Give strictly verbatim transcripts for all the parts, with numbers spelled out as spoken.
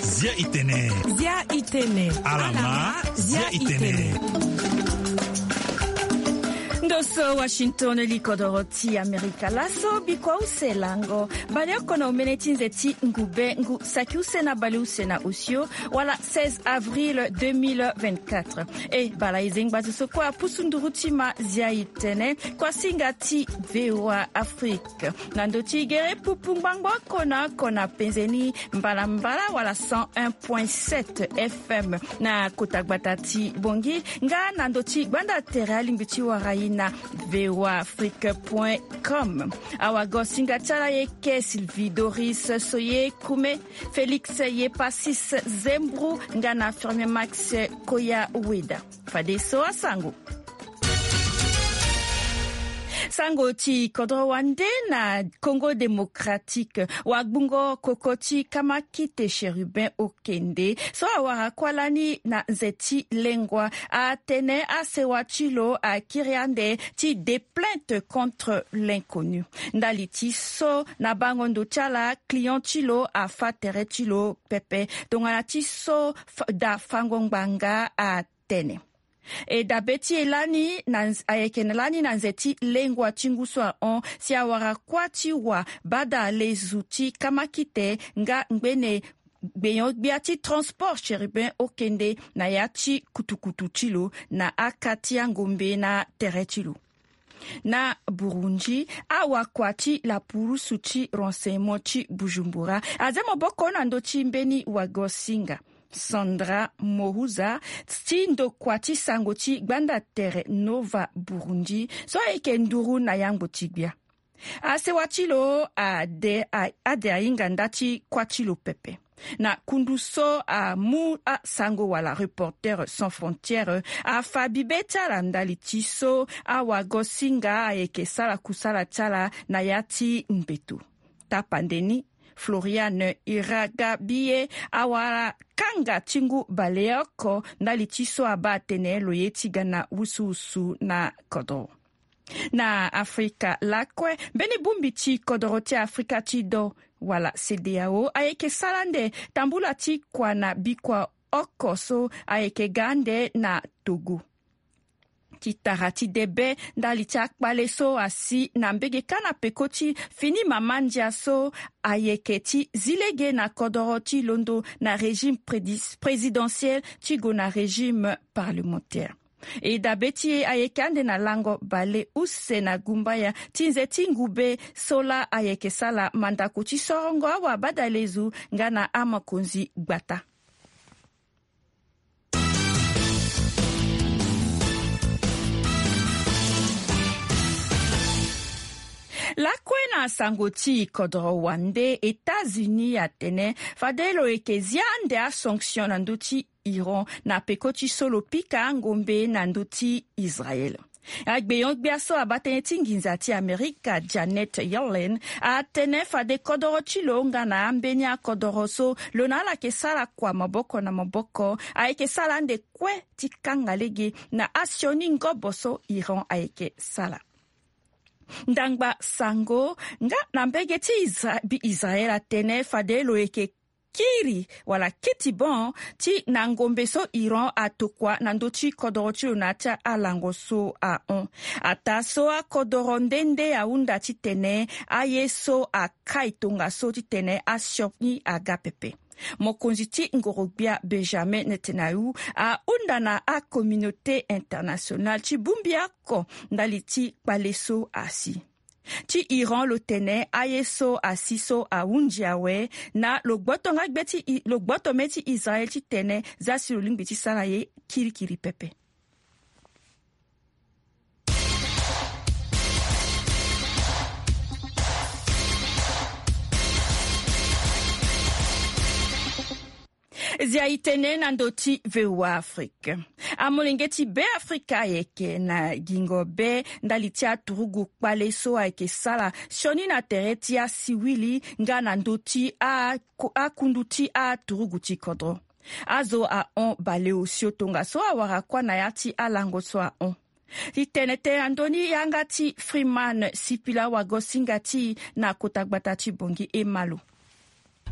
Zia itene. Zia itene. Alama. Zia itene. Ndo so Washington, li kodoro ti Amerika laso, bikua use lango. Baleoko na omene ti nze ti ngu be ngu saki use na baleuse na osio, wala seize avril deux mille vingt-quatre. E bala e zengba zo so kue apusu nduru ti ma, zia itene, kuasinga ti VOA Afrique. Na ndo ti gere pupu ngbangbo oko na oko na penze ni mbalambala wala cent un point sept F M na kota gbata ti Bangui, nga na ndo ti gbanda tere alingbi ti wara ye na V O A Afrique point com. Awagosinga ti ala ye ke Sylvie Doris Soye Kume, Félix Yepasis Zembru, nga na Firmin Max Koya Weda. Fadeso asango. Sango ti kodro wande na Congo Démocratique. Wagbungo koko ti Kamakite Chérubin Okende so awara kuâ lani na nze ti lengua atene asewa ti lo akiri ande ti déplainte contre l'inconnu. Ndali ti so na bango ndo ti ala client ti lo afâ tere ti lo pepe. Tongana ti so da fango ngbanga atene. E dabe ti e lani na ayeke lani na nze ti lengua ti ngu so ahon si awara kuâ ti wa bada lezu ti Kamakite nga ngbene gbenyo-gbia ti transport Chérubin Okende na ya ti kutukutu ti lo na aka ti angombe na tere ti lo. Na Burundi, awakua ti lapurusu ti renseignement ti Bujumbura aze maboko na ndo ti mbeni wagosinga Sandra Mohuza ti ndokua ti sango ti gbanda tere Nova Burundi so ayeke nduru na yangbo ti gbia. Asewa ti lo ade a- ade ahinga nda ti kuâ ti lo pepe. Na kundu so amu asango wala Reporters sans frontières afa bibe ti ala ndali ti so awagosinga ayeke sara kusala ti ala na ya ti mbeto. Tapande ni, Floriane Iragabie awara kanga ti ngu baleoko ndali ti so abaa atene lo ye ti ga na wusuwusu na kodro. Na Afrika lakue, mbeni bongbi ti kodoro ti Afrika ti do wala CEDEAO ayeke sara ande tambula ti kua na bikua oko so ayeke ga ande na Togo. Ti tara ti debe ndali ti akpale so asi na mbege kâ na peko ti fini mama ndia so ayeke ti zi lege na kodoro ti londo na régime prédi- présidentiel ti gue na régime parlementaire. E dabe ti e ayeke ande na lango bale use na gumbaya ti nze ti ngube so laa ayeke sara mandako ti sorongo awa badalezu nga na amokonzi gbata. Lakue na sango ti kodoro wande, États-Unis atene fade lo yeke zia ande asanction na ndö ti Iran na peko ti so lo pika angombe na ndö ti Israël. Agbenyo-gbia so abaa tënë ti nginza ti Amerika, Janet Yellen, atene fade kodoro ti lo nga na ambeni akodoro so lo na ala yeke sara kua maboko na maboko ayeke sara ande kue ti kanga lege na asioni ngobo so Iran ayeke sara. Ndangba sango nga na mbege ti Isra- bi- Israël atene fade lo yeke kiri wala kiti bon ti na ngombe so Iran atokua na ndö ti kodoro ti lo na ya ti alango so ahon. Ataa so akodoro nde nde ahunda titene aye so akai tongaso titene asioni aga pepe. Mokonzi ti ngoro-gbia Benjamin Netanyahu ahunda na acommunauté internationale ti bongbi oko ndali ti kpale so asi. Ti Iran lo tene aye so asi so ahunzi awe, na lo gboto nga gbe ti I- lo gboto me ti Israël titene za si lo lingbi ti sara ye kirikiri pepe. Zia itene na ndö ti V O A Afrique. Amolenge ti Beafrika ayeke na gingo be ndali ti aturugu kpale so ayeke sara sioni na tere ti asiwili nga na ndö ti a- akundu ti aturugu ti kodro. Azo ahon baleosio tongaso awara kuâ na ya ti alango so ahon. Ti tene tënë na ndö ni yanga ti Freeman Sipila wagosinga ti na kota gbata ti Bongi Emalo.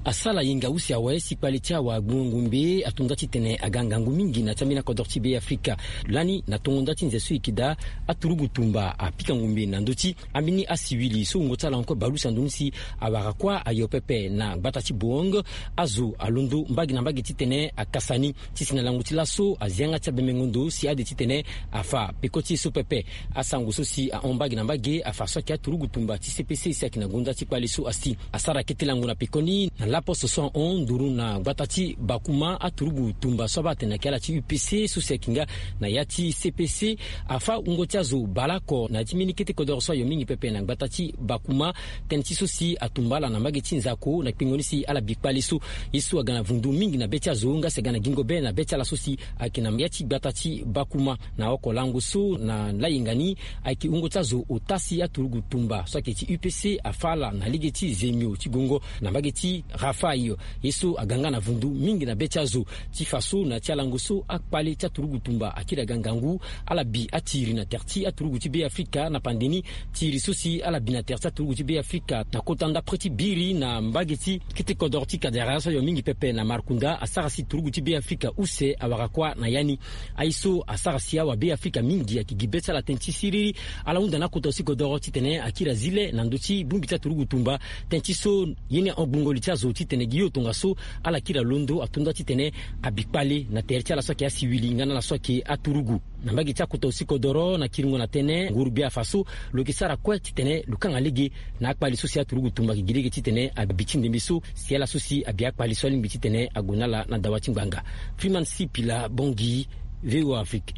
Asala yenga use awe si kpale ti awagbongo ngombe ato nda titene aga ngangu mingi na ti ambeni akodoro ti Be Afrika. Lani na tongo nda ti nze so e yeke daa, aturugu tumba apika ngombe na ndö ti ambeni asiwili so wungo ti ala encore balusa ndoni si awara kuâ ayo pepe na gbata ti Boong. Azo alondo mbage na mbage titene akasa ni. Ti si na lango ti laso azi yanga ti abemengo ndo si ade titene afa peko ti e so pepe. Asango so si ahon mbage na mbage afa so ayeke aturugu tumba ti C P C si ayeke na gonda ti kpale so asi. Asara kete lango na pekoni na laposte so ahon nduru na gbata ti Bakuma, aturugu tumba so abaa atene na yeke ala ti U P C so si ayeke nga na ya ti C P C. Afa wungo ti azo baleoko na ya ti mbeni kete kodoro so ayo mingi pepe na gbata ti Bakuma. Tënë ti so si atumba ala na mbage ti nzako na kpengo ni si ala bi kpale so. Ye so aga na vundu mingi na be ti azo nga si aga na gingo be na be ti ala so si ayeke na ya ti gbata ti Bakuma. Na oko lango so na layenga ni ayeke wungo ti azo ota si aturugu tumba so ayeke ti U P C afa ala na lege ti zemio ti gongo na mbage ti Rafaï. Ye so aga nga na vundu mingi na be ti azo. Ti fa so na ya ti alango so akpale ti aturugu tumba akiri aga ngangu. Ala bi atiri na tere ti aturugu ti Be Afrika na pande ni. Tiri so si ala bi na tere ti aturugu ti Be Afrika na kota ndapre ti biri na mbage ti kete kodoro ti Kadera so ayo mingi pepe na Markunda asara si turugu ti Be Afrika use awara kuâ na ya ni. Aye so asara si awa Be Afrika mingi ayeke gi be ti ala tënë ti siriri. Ala hunda na akota si kodoro titene akiri azi le na ndö ti bongbi ti aturugu tumba. Tënë ti so ye ni ahon gbungo li ti azo titene gi yo tongaso ala kiri alondo ato nda titene abi kpale na tere ti ala so ayeke asiwili nga na ala so ayeke aturugu. Na mbage ti akota osi kodoro na kiringo na tënë nguru gbia afa so lo yeke sara kue titene lo kanga lege na akpale so si aturugu tumba ayeke gi lege titene abi ti ndembe so si ala so si abi akpale so alingbi titene ague na ala na dawa ti ngbanga. Freeman Sipila, Bangui, V O A Afrique.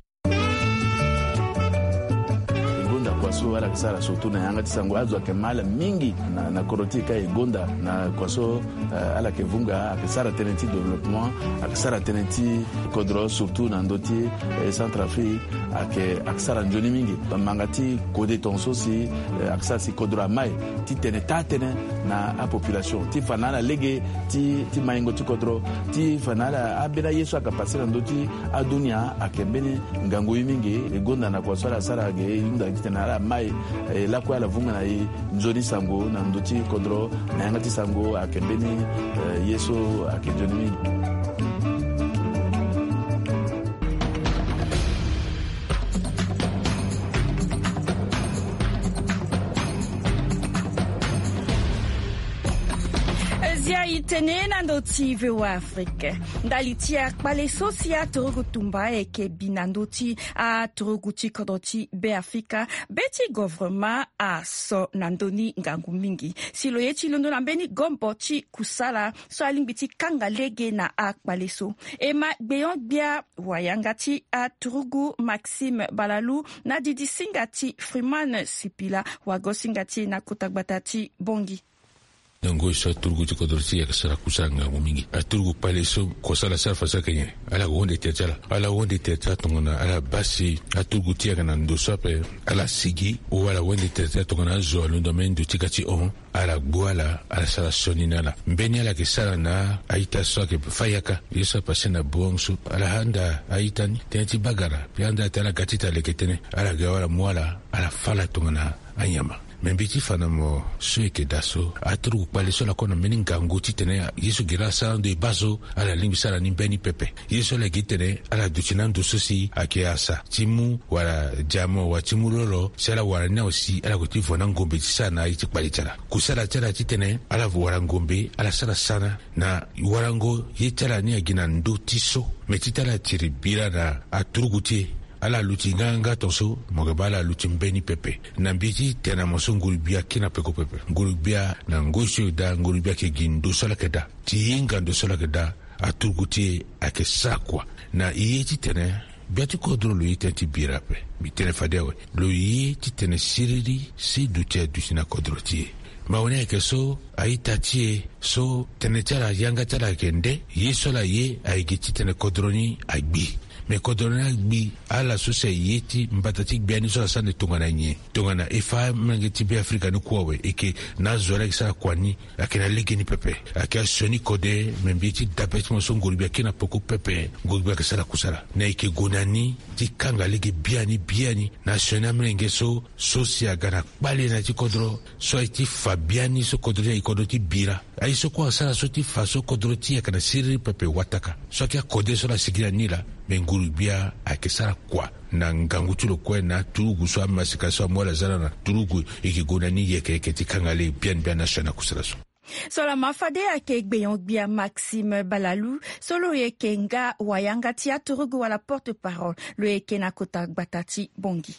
E gonda kua so ala yeke sara surtout na yanga ti sango azo ayeke ma ala mingi na, na kodro ti e ka e gonda na kua so, eh, ala yeke vunga ayeke sara tënë ti développement, ayeke sara tënë ti kodro surtout na ndö ti, eh, Centrafrique. Ayeke, ayeke sara nzoni mingi. Manga ti kode tongaso si, eh, ayeke sara si kodro amai ti tene taa tënë na apopulation ti fa na ala lege ti, ti maingo ti kodro, ti fa na ala ambeni aye so ayeke pase na ndö ti adunia ayeke mbeni ngangu ye mingi. E gonda na kua so ala sara ge e hunda titene ala mai, eh, lakue ala vunga na e nzoni sango na ndö ti kodro na yanga ti sango ayeke mbeni, eh, ye so ayeke nzoni mingi. Zia e tene na ndö ti V O A Afrique. Ndali ti akpale so si aturugu tumba ayeke bi na ndö ti aturugu ti kodro ti Be Afrika, be ti govrema aso na ndö ni ngangu mingi si lo ye ti londo na mbeni gombo ti kusala so alingbi ti kanga lege na akpale so. E ma gbeon-gbia wayanga ti aturugu Maxime Balalu na didisinga ti Freeman Sipila, wagosinga ti e na kota gbata ti Bangui. Na ngoi so aturugu ti kodro ti e ayeke sara kusala ngangu mingi. Aturugu kpale so kosala sara fa so ayeke nyen? Ala yeke honde tere ti ala. Ala honde tere ti ala tongana ala baa si aturugu ti e ayeke na ndo so ape ala sigi, ou ala honde tere ti ala tongana azo alondo ambeni ndo ti ga ti hon, ala gbu ala, ala sara sioni na ala. Mbeni ala yeke sara na a-ita so ayeke fâ yaka. Ye so apase na Boong so, ala handa a-ita ni tënë ti bagara, mbi handa atene ala ga ti ta leke tënë, ala ga wala mu ala, ala fâ ala tongana anyama. Me mbi ti fa na mo so e yeke daa so, aturugu kpale so ala ko na mbeni ngangu titene ye so gere ala sara ando e baa so, ala lingbi sara ni mbeni pepe. Ye so ala gi tene ala duti na ando so si ayeke asa ti mu wala diamant wala ti mu lolo si ala wara ni awe si ala gue ti vo na ngombe ti sara na aye ti kpale ti ala. Kusala ti ala titene ala wara ngombe, ala sara sana na warango ye ti ala ni agi na ndö ti so. Me ti tene ala tiri bira na aturugu ti e. Ala luti nganganga tongaso, mo yeke baa ala luti mbeni pepe. Na mbi ti tene na mo so nguru-gbia akiri na peko pepe. Nguru-gbia na ngoi so e daa, nguru-gbia ayeke gi ndo so ala yeke daa. Ti hinga ndo so ala yeke daa, aturugu ti e ayeke sara kua. Na e ye titene gbia ti kodro lo ye tënë ti bira ape. Mbi tene fade awe. Lo ye titene siriri si duti aduti na kodro ti e. Mawe ni ayeke so a-ita ti e so tënë ti ala yanga ti ala ayeke nde, ye so ala ye ayeke gi titene kodro ni agbi. Me kodro ni agbi ala so si aye ti mbata ti gbia ni so asara nde tongana nyen? Tongana e fa amolenge ti Beafrika ni kue awe, e yeke na azo laa e yeke sara kua ni. Ayeke na lege ni pepe. Ayeke asioni kode, me mbi ye ti dabe ti mo so nguru gbia akiri na peko pepe. Nguru gbia ayeke sara kusala. Na e yeke gue na ni ti kanga lege biani biani na asioni amolenge so, so si aga na kpale na ya ti kodro, so aye ti fa biani so kodro ni aye kodro ti bira. Aye so kue asara so ti fa so kodro ti e ayeke na siriri pepe wataka. So ayeke akode so laa asigi na ni laa, me nguru gbia ayeke sara kua na ngangu ti lo kue na aturugu so amasika so amu ala za na aturugu, e yeke gue na ni yeke yeke ti kanga lege biani biani na asioni akusala so. So laa ma fade ayeke gbenyo-gbia Maxime Balalou, so lo yeke nga wayanga ti aturugu wala porte-parole, lo yeke na kota gbata ti Bangui.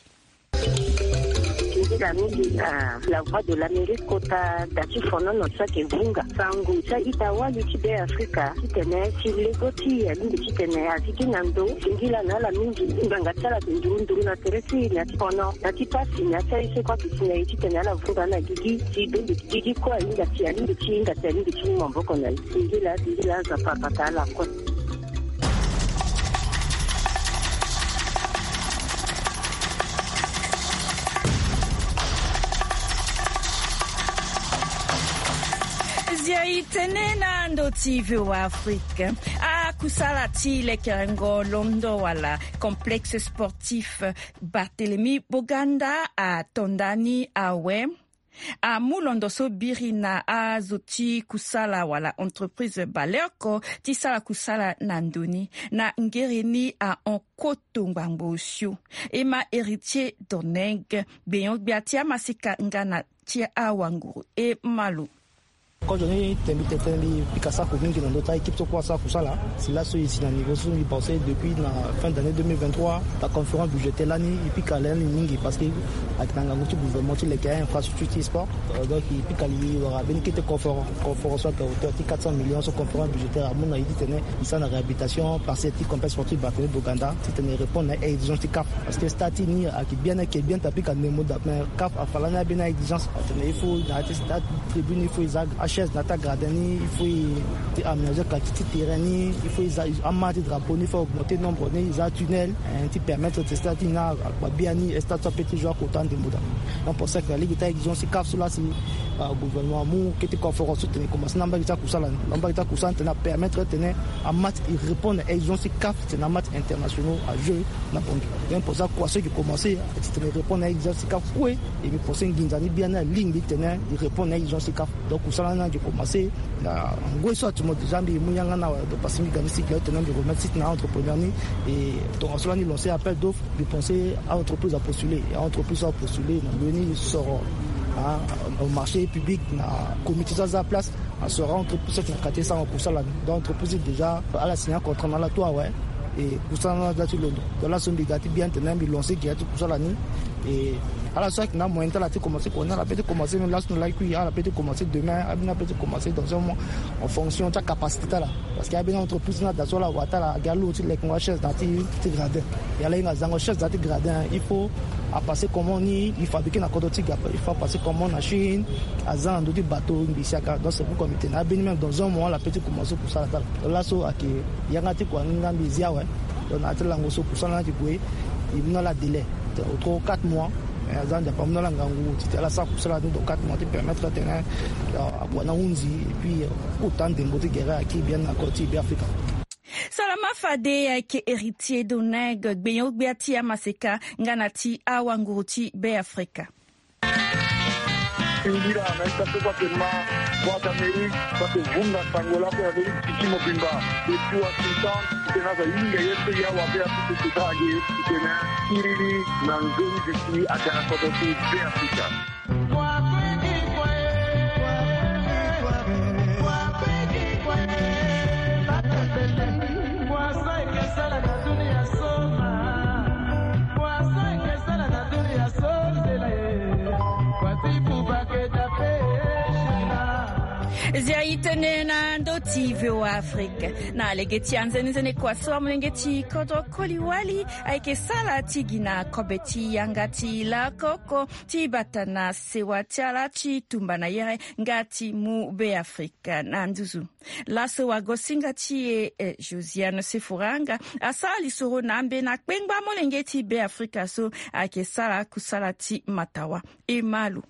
Singila mingi na La Voix de l'Amérique kota da ti fonono so ayeke vunga sango ti a-ita wali ti Beafrika titene si lego ti e alingbi titene azi gi na ndo. Singila na ala mingi, ngbanga ti ala ayeke nduru nduru na tere ti e na ya ti fono, na ti pasi na ya ti aye so kue ayeke si na e titene ala vunga na gigi. Si donde gigi kue ahinga si alingbi ti hinga si alingbi ti mu maboko na e. Singila, singila, Nzapa abata ala kue. Zia e tene na ndo ti V O A Afrique. Akusala ti lekerengo londo wala complexe sportif Barthélemy Boganda ato ndani awe. Amu londo so biri na azo ti kusala wala entreprise baleoko ti sara kusala na ndo ni. Na ngere ni ahon koto ngbangbo osio. E ma Héritier Doneng, gbenyo-gbia ti amaseka nga na ti awanguru, e ma lo. Kozo ni tene mbi tene tene mbi pika sako mingi na ndö ti a-équipe so kue asara kusala. Si laso e si na niveau so mbi pense depuis na fin d'année deux mille vingt-trois, la conférence budgétaire lani e pika lani mingi parce que ayeke na ngangu ti gouvernement ti leke a-infrastructure ti sport. Euh, donc e pika li wara mbeni kete conférence, conférence so ayeke hauteur ti quatre cents millions so conférence budgétaire amu na e titene e sara na réhabilitation partielle ti complexe sportif Barthélemy Boganda titene e répondre na exigence ti CAF. Parce que stade ti e ni ayeke bien, ayeke bien ta pika ndembo daa, mais CAF afa lani abeni a-exigence atene il faut na ya ti stade tribune, il faut e za achaise na ya ti agradin ni, il faut e ti aménager qualité ti terrain ni, il faut e za ama ti drapeau ni, il faut augmenter nombre ni, e za tunnel, eh, ti permettre ti stade ti e ni akpa biani, stade so ape ti joue akota ndembo daa. Donc pour ça que na lege ti a-exigence ti CAF so laa si, ah, gouvernement amu kete conférence so tene e commencer na mbage ti akusala ni. Na mbage ti akusala ni tene apermettre tene amatch e répondre na exigence ti CAF titene amatch internationaux ajouer na Bangui. Donc pour ça kua so e yeke commencer titene e répondre na exigence ti CAF kue, e mbi pense nginza ni biani alingbi titene e répondre na exigence ti CAF. Donc kusala ni ayeke commencer na ngoi so atumo déjà mbi mu yanga ni awe, donc parce que mbi ga ni sigi awe titene mbi remettre site na entrepreneur ni. Et tongaso lani lancer appel d'offre, mbi pense a-entreprise apostuler, a-entreprise so apostuler na mbeni soro, ah, au marché public na comité so aza place. Asoro entreprise so ayeke na quartier sango kusala ni. Donc entreprise déjà ala signer contrat na ala tout awe. Et kusala ni ala za ti londo. Donc laso mbi ga ti bien tene mbi lancer gi ya ti kusala ni. Et ala so ayeke na moyen ti ala ti commencer kua ni ala peut ti commencer même laso na lakui, ala peut ti commencer demain, abeni ala peut ti commencer dans un mois en fonction ti acapacité ti ala. Parce que abeni entreprise ni ada so ala wara ti ala agi alourd ti lekengo achaise na ya ti, ti gradin. E ala hinga azango chaise na ya ti gradin, il faut apasser commande ni, e fabriquer na kodro ti ga, il faut apasser commande na Chine, aza na ndö ti bateau ngbii siaka. Donc c'est pourquoi mbi tene abeni même dans un mois ala peut ti commencer kusala ti ala. Donc laso ayeke yanga ti kua ni nga mbi zi awe. Donc na ya ti lango so kusala ni ayeke gue, e mu na ala délai, donc au trop quatre mois. Eh, aza Nzapa amu na ala ngangu titene ala sara kusala ni dans quatre mois ti permettre atene, euh, akua ni ahunzi, et puis, euh, kota ndembo ti gere ayeke bien na kodro ti Beafrika. Salama fade ayeke Héritier Doneng, gbenyo-gbia ti amaseka nga na ti awanguru ti Beafrika. Singila na ita so kue ayeke ma Voix d'Amérique so ayeke vunga sango lakue na ndö ti duti ti mobimba. Depuis Washington, titene aza hinga ye so e awa Beafrika e sota age titene siriri na nzoni duti aga na kodro ti Beafrika. Zia itene na ndö ti V O A Afrique. Na lege ti anzenenzene kua so amolenge ti kodro koli wali ayeke sara ti gi na kobe ti yanga ti lakoko ti bata na sewa ti ala ti tumba na yere nga ti mu Beafrika na nduzu. Laso wagosinga ti e, eh, Josiane Sefuranga asara lisoro na ambeni akpengba molenge ti Beafrika so ayeke sara kusala ti matawa. E ma lo.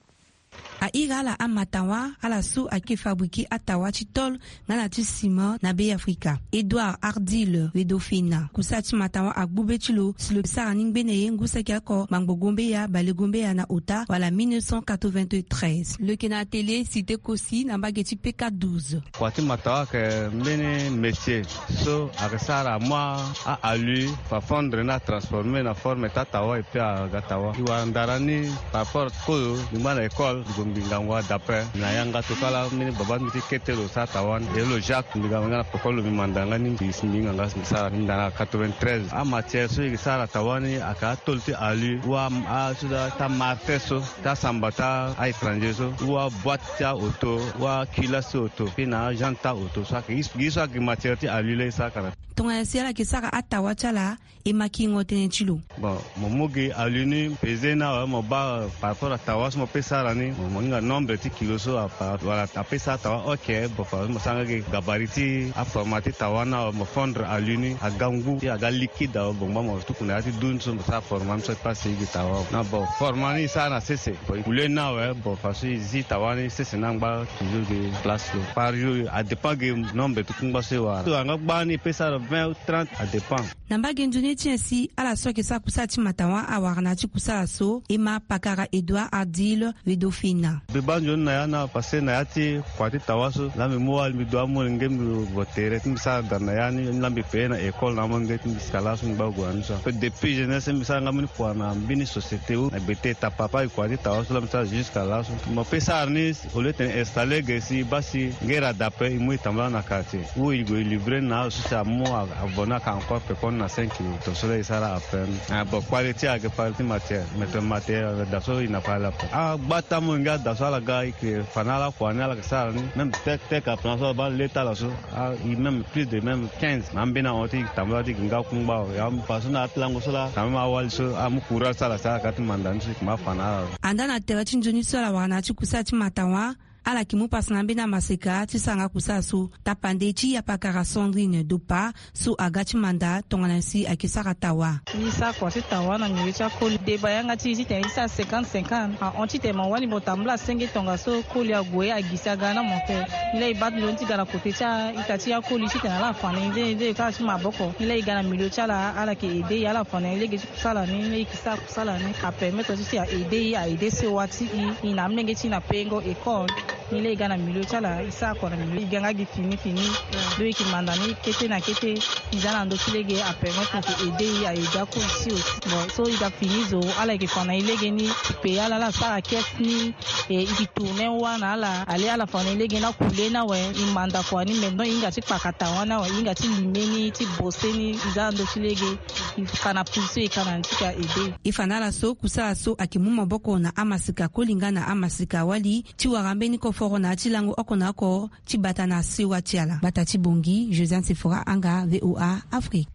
A iri ala amatawa, ala so ayeke fabriquer atawa ti tôle nga na ti ciment na Beafrika. Edouard Ardil Wedofina, kusala ti matawa agbu be ti lo si lo sara ni ngbene ye ngu saki oko, ngbangbo gombeya, bale gombeya na ota, wala mille neuf cent quatre-vingt-treize. Lo yeke na atelier Cité Kosi na mbage ti P K douze. Kua ti matawa ayeke mbeni métier so ayeke sara amu a-alu, fa fondre ni, atransformer na forme ti atawa, et puis aga tawa. E wara ndara ni par rapport kozo, mbi ngba na école, mbi gue mbi ngangu adape. Na yanga tokua laa mbeni baba ti mbi ti kete lo sara tawa ni. E lo Jacques, mbi ga mbi nga na peko lo, mbi manda nga ni, mbi si mbi hinga nga si mbi sara ni. Mbi da na quatre-vingt-treize. Amatière so e yeke sara tawa ni ayeke atôle ti alu, wala a so ti amarte so, ti asamba ti a-étranger so, wala boîte ti aoto, wala culasse ti oto, puis na agent ti aoto so ayeke, gi so ayeke matière ti alu laa e sara kara. Tongana si ala yeke sara atawa ti ala, e ma kingo tënë ti lo. Bon, mo mu gi alu ni pesé ni awe, mo baa par rapport atawa so mo pe sara ni, mo, mo hinga nombre ti kilo so apa, wala ape sara tawa, ok, bon, fa mo sara nga gi gabarit ti aformat ti tawa ni awe, mo fondre alu ni aga ngu, ti aga liquide awe, bon, ngba mo tuku na ya ti dun so mo sara format ni so ti pase gi tawa awe. Na bon, format ni e sara na sese. Bon, e coulé ni awe, bon, façon e zi tawa ni sese ni angba toujours gi place lo. Par jour, a dépend gi nombre ti kungba so e wara. So angba ni e pe sara vingt ou trente, a dépend. Na mbage nzoni ti nyen si ala so ayeke sara kusala ti matawa awara na ya ti kusala so? E ma pakara Edouard Ardil Wedofina. Mbi baa nzoni na ya ni awe, parce que na ya ti kua ti tawa so, laa mbi mu wali mbi du amolenge mbi gue tere ti mbi sara da na ya ni, laa mbi paye na école na amolenge ti mbi sika laso mbi ngba gue na ni so. Ape depuis jeunesse mbi sara nga mbeni kua na mbeni société ou na gbe te ta papa e kua ti tawa so laa mbi sara jusqu'à laso. Mo pe sara ni au lieu tene installer ge si e baa si ngera dape e mu e tambula na quartier ou e gue e livrer ni na azo so si amu a, avo ni ayeke encore pekoni na cinq kilo. Tongaso laa e sara ape ni. Ah, bon, qualité ayeke qualité matière. Mais tene matière ayeke daa so e na fa ala ape. Agbata amolenge ada so ala ga e yeke fa na ala kua ni ala yeke sara ni. Même tek tek aplan so ala baa le ti ala so. Ah, e même plus de même quinze. Na ambeni ahon ti e tambula ti e yeke nga kungba awe. Ya mbi fa so na ya ti lango so laa quand même awali so amu courage ti ala si ala ga ti manda ni so e yeke ma fa na ala. Andaa na tere ti nzoni so ala wara na ya ti kusala ti matawa, ala yeke mu pasa na ambeni amaseka ti sara nga kusala so. Tapande ti yapakara Sandrine Dopa so aga ti manda tongana si ayeke sara tawa. E sara kua ti tawa na milieu ti akoli. Deba yanga ti e titene e sara cinquante cinquante. Ahon titene mo wali mo tambula senge tongaso koli ague, agisi aga na mo te. Ni laa e baa ti lo ni ti ga na kote ti a-ita ti akoli titene ala fa na e nzeni nzeni kâ ti maboko. Ni laa e ga na milieu ti ala, ala yeke aidé e, ala fa na e lege ti kusala ni, ni laa e yeke sara kusala ni. Apermettre ti si a aidé e, a aidé sewa ti e, e na amolenge ti e na pengo école. Ni laa e ga na milieu ti ala, e sara kua na milieu, e ga nga gi fini fini. Donc e yeke manda ni kete na kete, e za na ndö ti lege, apermettre e yeke aidé e, a aidé akoli ti e aussi. Bon, so e ga fini zo, ala yeke fa na e lege ni, e paye ala, ala sara caisse ni, e, e yeke tourner wâ na ala. Allez, ala fa na e lege ni akule ni awe, e manda kua ni, maintenant e hinga ti kpakata wani awe, e hinga ti lime ni, ti bose ni, e za na ndö ti lege. E fa na position e ka na ni ti ka aidé. E fa na ala so kusala so ayeke mu maboko na amaseka koli nga na amaseka wali ti wara mbeni koforo na ya ti lango oko na oko ti bata na sewa ti ala. Bata ti Bangui, Josiane Sefora Anga, V O A Afrique.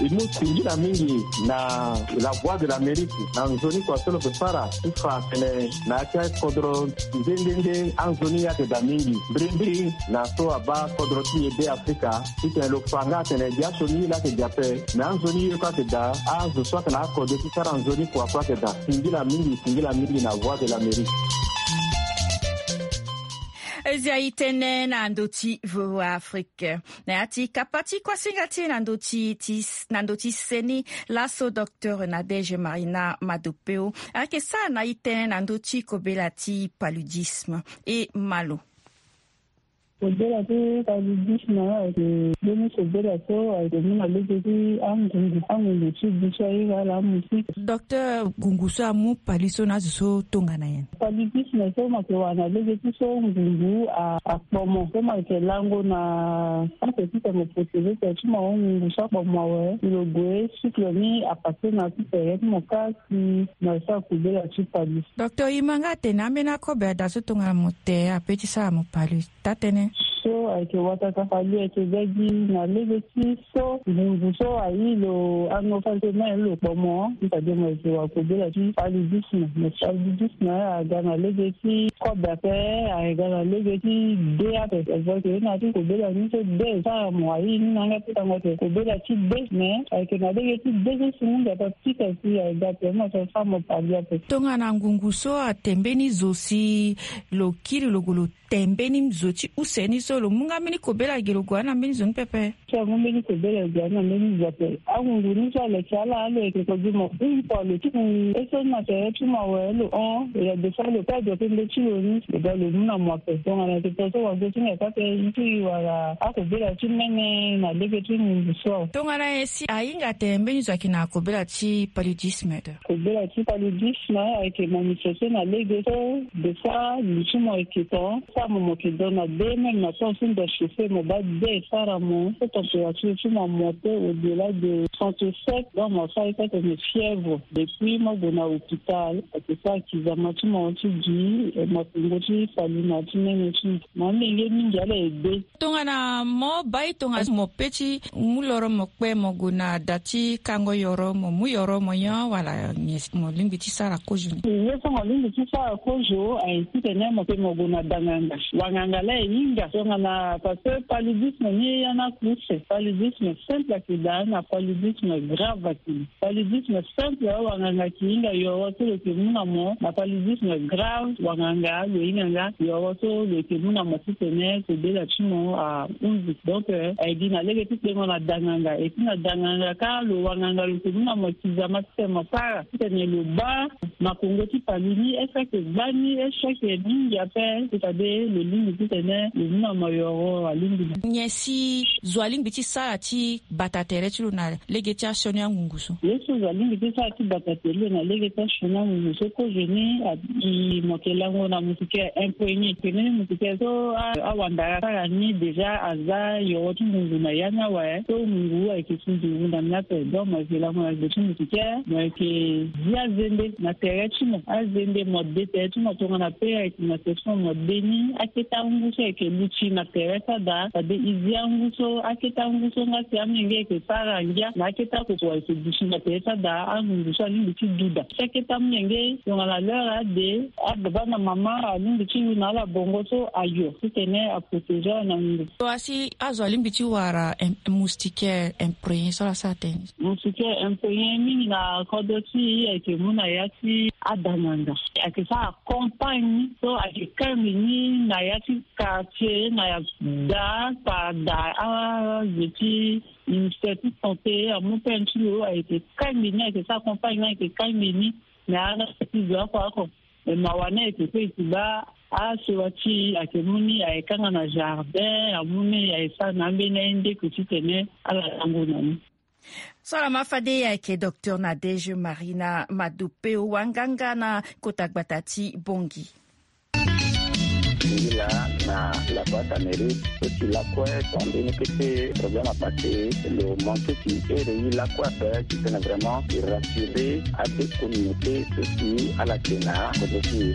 E mu singila mingi na La Voix de l'Amérique na nzoni kua so lo yeke sara ti fa atene na ya ti akodro nde nde nde anzoni ye ayeke daa mingi. Mbirimbiri na so abaa kodro ti e Beafrika, titene lo fa nga atene gi asioni ye laa ayeke gi ape, me anzoni ye kue ayeke daa, azo so ayeke na akode ti sara nzoni kua kue ayeke daa. Singila mingi, singila mingi na Voix de l'Amérique. Zia e tene na ndö ti V O A Afrique. Na ya ti kapa ti kuasinga ti e na ndö ti, ti, na ndö ti seni, laso docteur Nadège Marina Madopeo ayeke sara na e tënë na ndö ti kobela ti paludisme. E ma lo. Kobela ti paludisme ayeke mbeni kobela so ayeke mu na lege ti angungu angungu ti du so ahinga ala amu si. Docteur, ngungu so amu pali so na azo so tongana nyen? Paludisme so mo yeke wara na lege ti so ngungu akpomo so mo yeke lango na sante ti tene protege tere ti mo ngungu so akpomo awe lo gue cycle ni apase na ti tere ti mo kasi na so akobela ti pali. Docteur, e ma nga atene ambeni akobe ada so tongana mo te ape ti sara mo pali. Taa tënë. So ayeke wataka pali ayeke ga gi na lege ti so ngungu so ayi lo anofaltene lo kpomo. Ti tade mo yeke wara kobela ti paludisme. Mais paludisme aga na lege ti kobe ape, aga na lege ti de ape. Eza ke na ti kobela ni so de sara mo ayi ni na yanga ti tango te kobela ti de. Mais ayeke na lege ti de so si mingi ape apika si aga te mo so sara mo pali ape. Tongana ngungu so ate mbeni zo si lo kiri lo gue lo te mbeni zo ti use ni so lo mu nga mbeni kobela ge lo gue na mbeni zo ni pepe. So amu mbeni kobela ge na mbeni zo ape. Angungu ni so aleke ala lo yeke kodi mo hum kua lo ti hum eso ni na tere ti mo awe lo hon. Lo ya de fois lo perdre pe nde ti lo ni lo ga lo mu na mo ape. Tongana yeke to so wago ti nge kâ pe i ti wara akobela ti mene na lege ti ngungu so awe. Tongana nyen si ahinga ate mbeni zo ayeke na kobela ti paludisme? Kobela ti paludisme ayeke manifeste na lege so de fois lu ti mo ayeke to. Sara mo mo yeke dona de même na temps ti nda chauffé mo baa de sara mo so température ti mo amonte au delà de trente-sept. Donc mo asara ye ti atene fièvre. Depuis mo gue na hôpital ayeke sara kizama ti mo ti gi makongo ti pali na ti mene ti mo. Mo amenge mingi ala ede. Tongana mo bai tongana mo pe ti mu loro mo kpe mo gue na da ti kango yoro mo mu yoro mo nyon wala nyen mo lingbi ti sara kozo ni? Ye so mo lingbi ti sara kozo aye titene mo pe mo gue na danganga. Wanganga la e hinga tongana parce que paludisme ni ya na kuse. Paludisme simple ayeke daa na paludisme grave ayeke. Paludisme simple awanganga ayeke hinga yoro so lo yeke mu na mo. Na paludisme grave wanganga lo hinga nga yoro so lo yeke mu na mo titene kobela ti mo ahunzi. Donc aye gi na lege ti kpengo na danganga. Et puis na danganga kâ lo wanganga lo yeke mu na mo kizama titene mo sara titene lo baa makongo ti pali ni est-ce que ayeke gba ni est-ce que ayeke mingi ape? C'est-à-dire lo lingbi titene lo mu na mo yoro alingbi na. Nyen si zo alingbi ti sara ti bata tere ti lo na lege ti asioni angungu so? Ye so zo alingbi ti sara ti bata tere ti lo na lege ti asioni angungu so kozo ni abi mo yeke lango na moustiquaire imprégné. Tene ni moustiquaire so awandara sara ni déjà aza yoro ti ngungu na ya ni awe so ngungu ayeke si ngungu na ni ape. Donc mo yeke lango na gbe ti moustiquaire mo yeke zi azende na tere ti mo azende mo de tere ti mo tongana pe ayeke na section mo de ni akete angu so ayeke luti na tere ti ada. Fade e zi angu so akete angu so nga si amenge ayeke sara ngia na akete akoko ayeke duti na tere ti ada angungu so alingbi ti duda. Si akete amenge tongana l'heure ade ababa na mama alingbi ti lu na ala bongo so ayo titene aprotégé ala na ngu. Wala si azo alingbi ti wara moustiquaire imprégné so ala sara tënë? Moustiquaire imprégné mingi na kodro ti e ayeke mu na ya ti adanganga. Ayeke sara campagne so ayeke kangbi ni na ya ti quartier na ya da par da azo ti ministère ti santé amu peine ti lo ayeke kangbi ni ayeke sara campagne ni ayeke kangbi ni. Mais ala ti zo oko oko. Mais mawa ni ayeke pe e ti baa asewa ti e ayeke mu ni ayeke kanga na jardin amu ni ayeke sara na ambeni aye ndeko titene ala lango na ni. So ala ma fade ayeke docteur Nadège Marina Madopeo wanganga na kota gbata ti Bangui. Ngila na laboite Amérique so ti lakue so ambeni kete problème apase lo manke ti ere ye lakue ape titene vraiment e rassurer ade communauté so ti ala yeke na kodro ti e.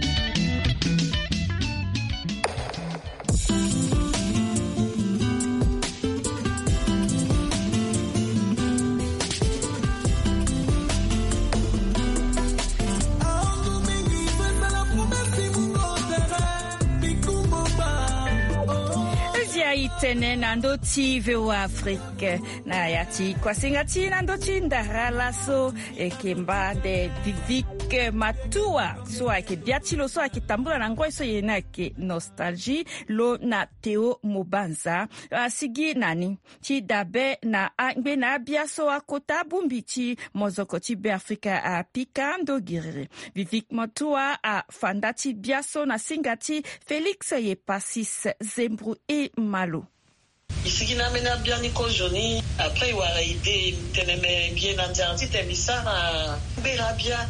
Ezi ayi tene na ndö ti V O A Afrique na ya ti kuasinga ti na ndö ti ndara laso. Eke mba nde Vivic Ke matua so ayeke bia ti lo so ayeke tambula na ngoi so ye ni ayeke Nostalgie, lo na Théo Mobanza. Asigi na ni ti dabe na angbe na abia so akota abongbi ti mozoko ti Beafrika apika ndo giriri. Vivik Matua afa nda ti bia so na singa ti Félix Yepasis Zembru e Malo. E sigi na ambeni abia ni kozo ni. Après e wara idée, e tene me mbi ye na nzara titene mbi sara mbera abia.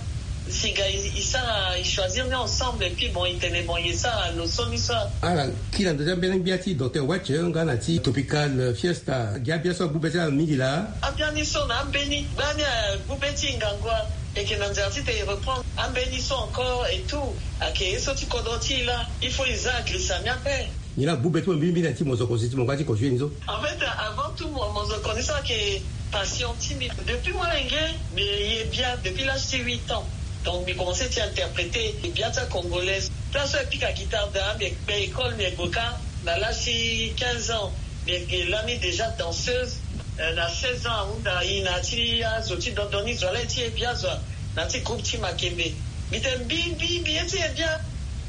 Singa e, e sara, e choisir ni ensemble, et puis bon, e tene bon, e sara lo so ni so. Ala kiri na ndo ti ambeni gbia ti Docteur Watch nga na ti Tropical Fiesta. Gi abia so agbu be ti ala mingi laa. Abia ni so na ambeni gbani agbu be ti e ngangu. Eke na nzara titene e reprendre ambeni so encore et tout. Ayeke ye so ti kodro ti e laa. Il faut e za agrisa ni ape. Nyen la agbu be ti mo mingi mingi na ya ti mozoko si ti mo nga ti ko joue ni so? En fait, avant tout, mo, mozoko ni so ayeke passion ti mbi. Depuis molenge, mbi ye bia depuis l'âge ti huit ans. Donc mbi commencé ti interpréter bia ti acongolais. Place so e pika guitare daa, mbi kpe école, mbi gue kâ na l'âge ti quinze ans. Mbi yeke lani déjà danseuse. Euh, na seize ans ahunda e na ya ti azo ti dondo ni zo, ala ye ti ye bia zo. Na ya ti groupe ti Makembe. Mbi tene mbi, mbi, mbi ye ti ye bia.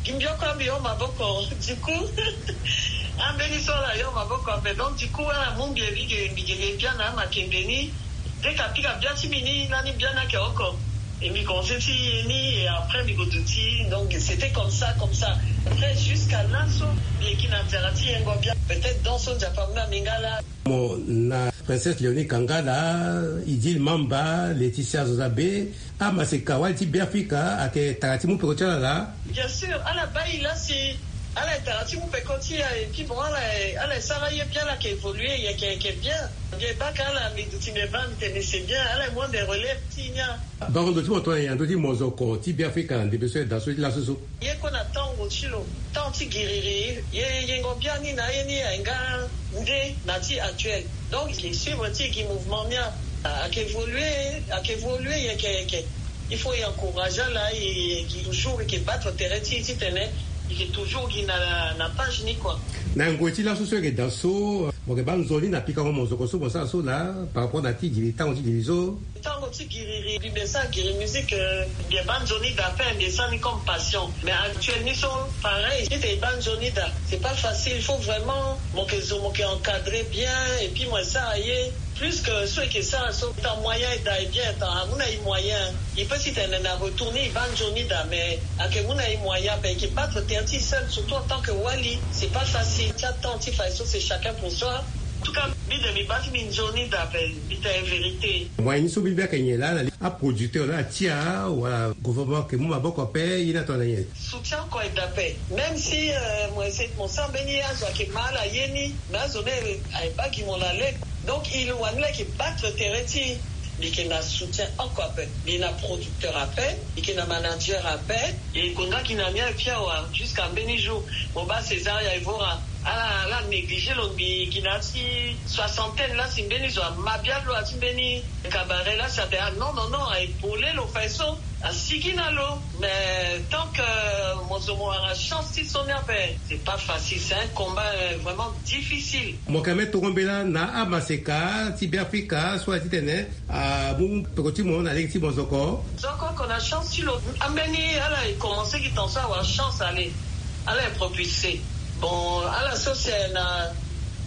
Gi mbi oko ambi hon maboko. Du coup, ambeni so ala hon maboko ape. Donc du coup, ala mu mbi e, mbi ge, mbi ge, ge bia na Makembe ni. Dès que apika bia ti mbi ni, lani bia ni ayeke oko. Et mbi commencé ti ye ni, et après mbi gue duti. Donc c'était comme ça, comme ça. Après, jusqu'à laso, mbi yeke na nzara ti yengo bia. Peut-être donc so Nzapa amu na mbi nga laa. Mo na Princesse Léonie Kangala, Idil Mamba, Laetitia Zozabe, amaseka wali ti Beafrika ayeke tara ti mu peko ti ala laa. Bien sûr, ala baa e laa si ala yeke tara ti mu peko ti e, et puis bon, ala, ala sara ye bien, ala yeke évoluer, e yeke, e yeke bien. Mbi baa ka ala, mbi duti mbi baa, mbi tene c'est bien, ala mu ande relève ti e ni. Bango ndo ti mo tongana nyen na ndö ti mozoko ti Beafrika na ndembe so ayeke daa so ti laso so? Ye kue na tango ti lo, tango ti giriri, ye yengo biani na aye ni aye nga nde na ti actuel. Donc e suivre ti e gi mouvement ni a, ayeke évoluer, ayeke évoluer, e yeke, e yeke. Il faut e encourager ala, e, e gi toujours, e yeke battre terrain ti e titene e yeke toujours gi na, na page ni kua. Na ngoi ti laso so e yeke daa so, mo yeke baa nzoni na pikango mozoko so mo sara so laa par rapport na ti giri, tango ti giri so? Tango ti giriri, mbi be sara giri musique, euh, mbi baa nzoni daa ape, mbi sara ni comme passion. Mais actuel ni so, pareil, titene e baa nzoni daa, c'est pas facile. Il faut vraiment mo yeke zo, mo yeke encadrer bien, et puis mo yeke sara ye. Plus que so e yeke sara so, tant moyen e daa e bien, tant amu na e moyen. E peut titene na retour ni e baa nzoni daa, mais ayeke mu na e moyen ape, e yeke battre terrain ti e seul, surtout en tant que wali, c'est pas facile. Ti atemps ti fa e so, c'est chacun pour soi. En tout cas, mbi de mbi baa ti mbi nzoni daa ape, mbi tene vérité. Moyen ni so mbi mbi ayeke nyen laa na li aproducteur laa atia wala gouvernement ayeke mu maboko ape, ye ni atongana nyen? Soutien kue e daa ape. Même si, euh, mo essaie, mo sara mbeni azo ayeke ma ala ye ni, mais azo ni aye baa gi mo na lege. Donc il wani la ayeke battre terrain ti e. Mbi yeke na soutien oko ape. Mbi na producteur ape, mbi yeke na manager ape. E gue nga gi na ni aye pia wa, jusqu'à mbeni jour. Mo baa César ya Evora, ala, ala négligé lo, mbi gi na ya ti soixantaine laa si mbeni zo ama bia lo ya ti mbeni cabaret laa si atene ah non, non, non, a épaulé lo fa e so, asigi na lo. Mais tant que mo zo mo wara chance ti so ni ape, c'est pas facile, c'est un combat, euh, vraiment difficile. Mo yeke me toro mbela na amaseka ti Beafrika so aye titene amu peko ti mo na lege ti mozoko. Zo oko oko na chance ti lo. Ambeni ala e commencé gi tan so awara chance ale. Ala e propulsé. Bon, ala so si aye na,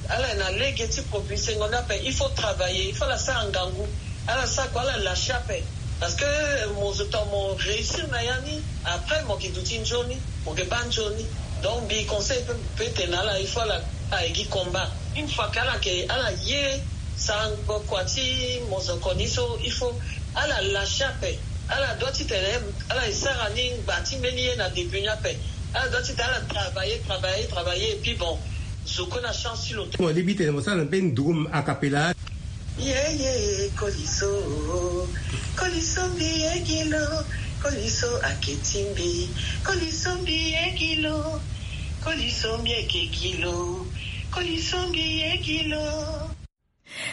ala e na lege ti propulsé ngo ni ape, il faut travailler, il faut ala sara ngangu. Ala sara kua, ala lâché ape. Parce que mo zo tongana mo réussir na ya ni, après mo yeke duti nzoni, mo yeke baa nzoni. Donc mbi conseil pe, pe tene na ala, il faut ala, ala gi combat. Une fois que ala yeke, ala ye sara kua ti mozoko ni so, il faut ala lâché ape. Ala doit titene ala e sara ni ngba ti mbeni ye na début ni ape. Ala doit titene ala travailler, travailler, travailler, et puis bon, zo kue na chance ti lo. Mo lingbi tene mo sara na mbeni nduru a cappella. Ye, ye, koliso, koliso mbi ye gi lo, koliso ake ti mbi, koliso mbi ye gi lo, koliso mbi eke gi lo, koliso mbi ye gi lo.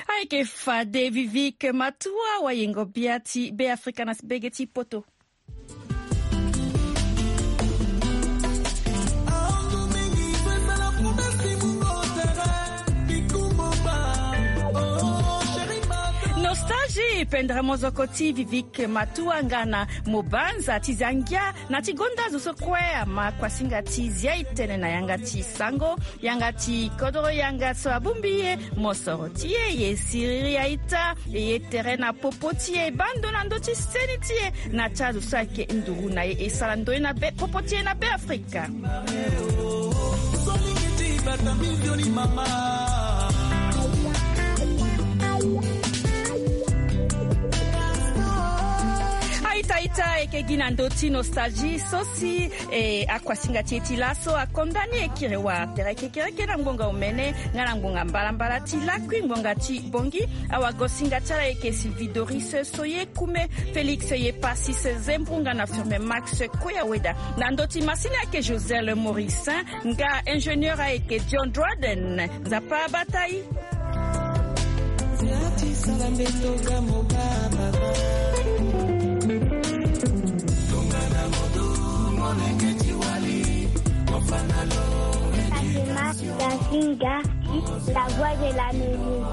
Ayeke fade Vivique Matua, wayengo bia ti Beafrika na sibege ti poto. Nostalgie. Pendere mozoko ti Vivik Matuanga na Mobanza ti Zangia na ti gonda zo so kue ama kuasinga ti zia e tene na yanga ti sango, yanga ti kodoro, yanga so abongbi e mosoro ti e, e siriri aita, e ye tere na popo ti e, e baa ndo na ndö ti seni ti e na ti azo so ayeke nduru na e, e sara ndoye na be popo ti e na Beafrika. Aita aita, e yeke gi na ndö ti nostalgie so si e akuasinga ti e ti laso akonda ni e kiri wara tere kekereke na ngbonga omene nga na ngbonga mbalambala ti lakui ngbonga ti Bongi. Awagosinga ti ala e yeke Sylvie Doris Soye Kume, Félix Yepasis Zembrunga na Firmin Max Koyaweda. Na ndö ti masini ayeke Joselle Morissin, nga ingénieur ayeke John Dryden. Nzapa abata e. Fatima Dazinga, la voix de l'Amérique.